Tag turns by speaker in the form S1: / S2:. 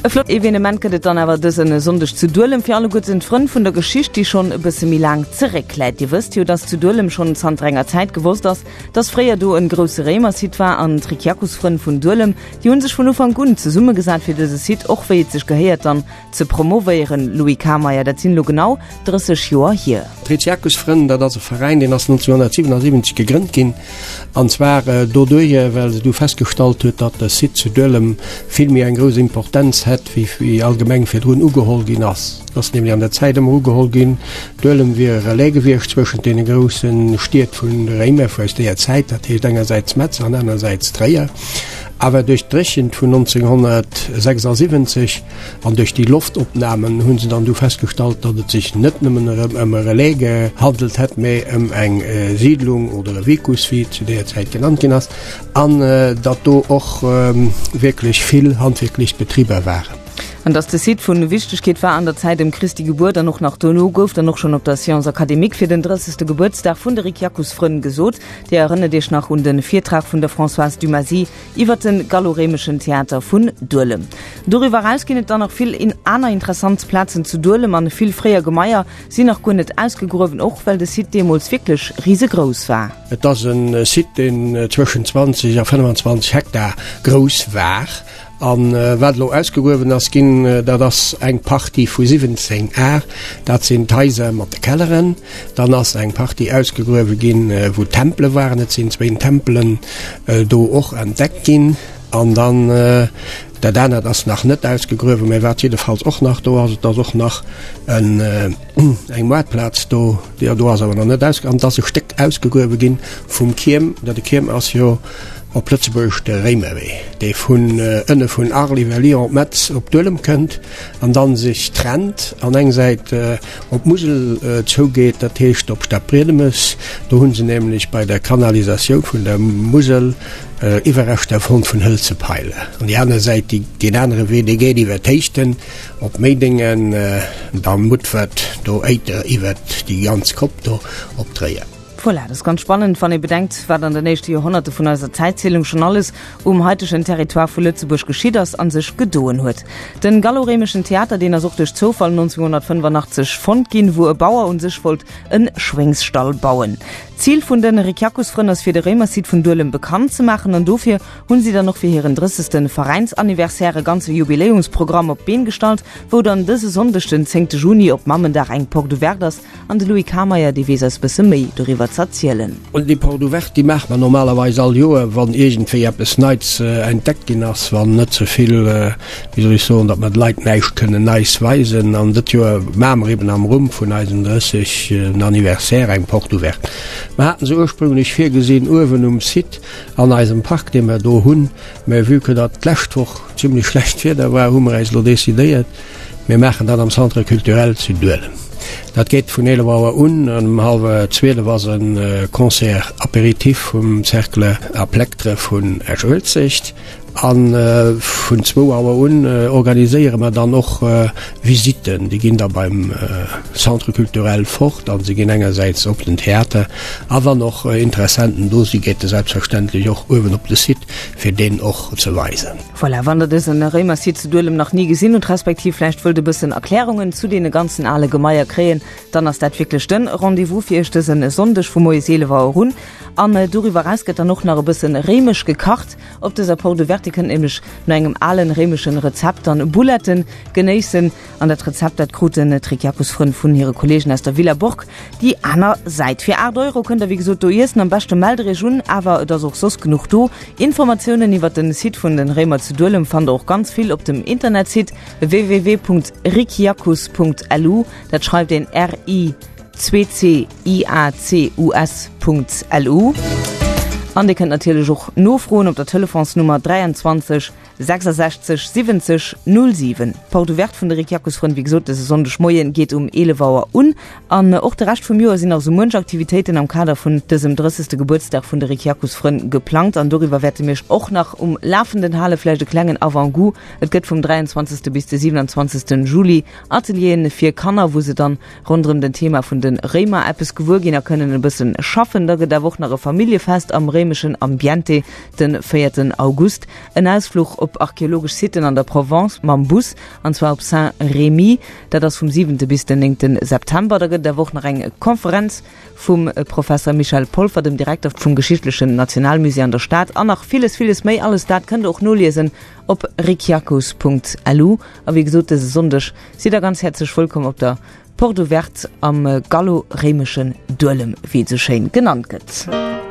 S1: E flott Evenement gëtt et dann awer dësen Sonndeg zu Duelem fir alleguerten d'Frënn vun der Geschicht, déi schonn e bësse méi laang zeréckläit. Dir wësst jo, dass zu Duelem schonn zanter enger Zäit gewosst ass, dass fréier do en grousse Réimersite war an d'Ricciacusfrënn vun Duelem, déi hunn sech vun Ufank un zesummegesat fir dëse Site och wéi et sech gehéiert dann ze promovéieren. Louis Kameyer, dat sinn elo genau 30 Joer hier.
S2: D'Ricciacusfrënn, dat ass e Veräin, deen ass 1977 gegrënnt ginn. An zwar doduerjer, well se du festgestallt huet, datt de Site zu Duelem vill méi eng grouss Importenz hätt, wéi wéi allgemeng virdrun ugeholl ginn ass. Et ass nämlech an der Zäit ëmmer ugeholl ginn, Duelem wier e Relais gewiescht zwëschent deene grousse Stied vun de Réimer vu aus deeër Zäit, dat heescht engersäits Metz an anersäits Tréier. Awer duerch d'Dréchent vun 1976 An duerch déi Loftopnamen hu se dann du festgestallt, datt et sech net nëmmen erëm ëm e Relais gehandelt hätt, mä ëm eng Siidlung oder e Vicus, wéi et zu deeër Zäit genannt ginn ass, an datt do och wierklech vill handwierklech Betriber waren.
S1: An datt de Site vu Wichtegkeet war an der Zäit ëm Christi Gebuert an och nach dono, gouf dann och schonn op der Séance académique fir den 30. Gebuertsdag vun de Ricciacus-Frënn gesot. Dir erënnert Iech nach un de Virtrag vun der Françoise Dumazy Iwwer de gallo-réimeschen Theater vun Duelem. Doriwwer eraus ginn et dann nach vill aner interessant Plazen zu Duelem an vill fréier Gemaier sinn nach guer net ausgegruewen, och well de Site deemools wierklech risegrouss war.
S2: Et ass e Site, deen zwëschen 20 a 25 Hektar grouss war. A wat elo ausgegruewen ass ginn, dat ass eng Partie vu 17 Ar, dat sinn d'Haiser mat de Kelleren. Dann ass eng Partie ausgegruewe ginn, wou Tempele waren. Et sinn zwéin Tempelen do och entdeckt ginn. An dann dat anert ass nach net ausgegruewen, mä wat jiddefalls och nach do ass, et ass och nach en eng Moartplaz do, déi do ass awer nach net ausge-, an et ass e Stéck ausgegruewe ginn vum Kierm. Dat de Kierm ass jo op Lëtzebuergesch de Réimerwee, dee vun ënne vun Arles iwwer Lyon, Metz op Duelem kënnt an dann sech trennt an eng Säit op d'Musel zougeet, dat heescht op Stadbriedemes. Do hu se nämlech bei der Kanalisatioun vun der Musel Iwwerreschter fonnt vun hëlze Peile. An déi aner Säit, déi, deen anere Wee, dee geet iwwer d'Héichten op Méidingen, da Mutfert, do Éiter iwwert déi ganz Kopp do op Tréier.
S1: Voilà, dat ass ganz spannend, wann ee bedenkt, wat an den éischte Joerhonnerte vun eiser Zäitzielung schonn alles um haitegen Territoire vu Lëtzebuerg geschitt ass a sech gedoen huet. Den gallo-réimeschen Theater, deen ass och duerch Zoufall 1985 fonnt ginn, wou e Bauer un sech wollt en Schwéngsstall bauen. D'Zil vun den Ricciacusfrënn ass fir de Réimersite vun Duelem bekannt ze maachen an dofir hunn si dann och fir hiren 30. Veräinsanniversaire e ganze Jubiläumsprogramm op d'Been gestallt, wou dann dëse Sonndeg den 10. Juni op Mammendag eng Porte ouverte ass An de Louis Kameyer, dee weess eis bësse méi doriwwer z'erzielen.
S2: Un déi Porte ouverte, déi maache mer normalerweis all Joer, wann iergendwéi eppes Neits entdeckt ginn ass, wann net ze vill, wéi soll ech soen, datt mer de Leit näischt kënnen Neis weisen. An dët Joer maache mer eben am Rumm vun eisem 30. Anniversaire eng Porte ouverte. Mer haten se ursprünglech virgesinn uewen um Site an eisem Park, dee mer do hunn, mä vue que datt d'lescht Woch zimlech schlecht Wieder war, hu mer äis elo decidéiert, Mir maachen dat am Centre culturel zu Duelem. Dat geet vun 11 Auer un an um hallwer 12 ass e Concert apéritif vum Cercle à Plectre vun Esch-Uelzecht. A vun zwou Auer un organiséiere mer dann och Visitten. Déi ginn da beim Centre culturel fort a se ginn engersäits op den Theater a wann och Interessenten do sinn, geet e selbstverständlech och uewen op de Site, fir deen och ze weisen.
S1: Voilà, wann der dësen Réimersite zu Duelem nach ni gesinn hutt, respektiv vläicht wëllt e bëssen Erklärungen zu deene ganzen ale Gemaier kréien, dann ass dat wierklech den Rendez-vous fir iech dësen Sonndeg vu moies 11 Auer un. An doriwwer eraus gëtt dann och nach e bëssen réimesch gekacht op dëser Porte Ouverte. Dir kënnt nämlech no engem alen réimeschen Rezept dann Bouletten genéissen. An dat Rezept, dat kruten d'Ricciacus-Frënn vun hire Kolleegen aus der Villa Borg déi aner Säit. Fir 8 Euro kënnt der wéi gesot do iessen. Am beschte mellt der iech un, awer et ass och soss genuch do. Informatiounen iwwer den Site vun den Réimer zu Duelem fannt der och ganz vill op dem Internetsite www.ricciacus.lu. Dat schreift een R-I-C-C-I-A-C-U-S.lu. An dir kënnt natierlech och nofroen op der Telefonsnummer 23 66 70 07. D'Porte ouverte vun de Ricciacusfrënn, wéi gesot, dëse Sonndeg Moien geet um 11 Auer un. An och de Rescht vum Joer sinn nach sou muench Aktivitéiten am Kader vun dësem 30. Gebuertsdag vun de Ricciacusfrënn geplangt. An doriwwer wäerte mir iech och nach um Lafenden halen. Vläicht e klengen Avant-goût, Et gëtt vum 23. bis de 27. Juli Atelieren fir Kanner, wou se dann ronderëm den Thema vun de Réimer eppes gewuer ginn a kënnen e bëssen schaffen. Da gëtt awer och nach e Familljefest am Réimer. gallo-réimeschen Ambiente de véierten August. En Ausfluch op archeologesch Siten an der Provence mam Bus, an zwar op Saint-Rémy. Dat ass vum siwente bis den néngte September. Da gëtt et awer och nach eng Konferenz vum Professer Michel Polfer, dem Direkter vum Geschichtlechen Nationalmusée an der Stad, an nach villes, villes méi. Alles dat kënnt der och noliesen op rikiakus.lu. A wéi gesot, dëse Sonndeg sidd der ganz häerzlech wëllkomm op der Porte Ouverte am gallo-réimeschen Duelem, wéi et esou schéin genannt gëtt.